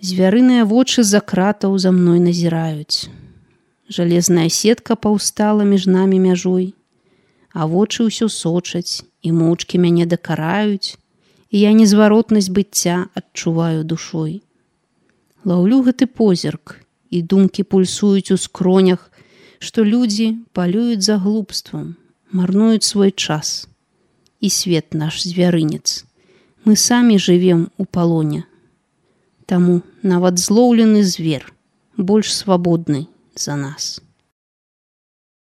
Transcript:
Звярыныя вочы з-за кратаў за мной назіраюць. Жалезная сетка паўстала між намі мяжой, а вочы ўсё сочаць і моўчкі мяне дакараюць, і я незваротнасць быцця адчуваю душой. Лаўлю гэты позірк, і думкі пульсуюць у скронях, што людзі палююць за глупствам, марнуюць свой час. І свет наш звярынец. Мы самі жывем у палоне. Таму нават злоўлены звер больш свабодны за нас.